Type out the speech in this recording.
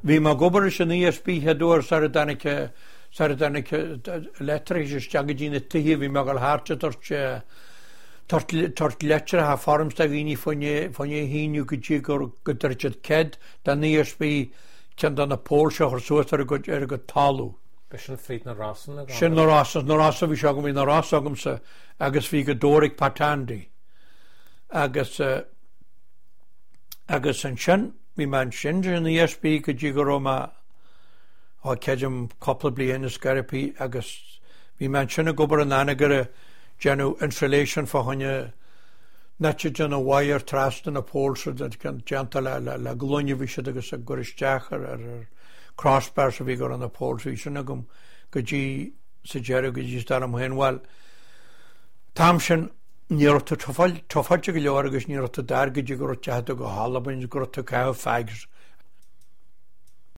Bhí mé ag obair leis an ESB chéad uair sar a dtáinig sar a dtáinig leictreachas isteach go dtí na tithe bhí mé ag dul thart ag tabhairt tabhairt litreacha forms do dhaoine fá choinne é a shíniú go dtí go go dtabharfadh siad cead don ESB ceann de na poles a chur suas ar a gcuid ar a gcuid talamh. B'é sin fríd na Rosanna? Sin na Rosanna, na Rosanna bhí seo agam, bhí na Rosanna agamsa agus bhí Gaoth Dobhair ag Pat Andy. Agus agus ansin bhí mé ansin san ESB go dtí go raibh mé ó creidim cúpla bliain is scairpí agus bhí mé ansin ag obair in Anagaire déanamh insulation fá choinne net ag déanamh wire trasna na poles déanta le le le gloine a bhí siad agus ag cur isteach ar ar ar crossbars a bhí ag cur ar na poles bhí sin agam go dtí sa deireadh go dtí is dar liom féin bhuel t-am sin ní raibh tú tufáilte go leor agus ní raibh tú dar go dtí go raibh tú go hAlbain go raibh tú ag caitheamh fags.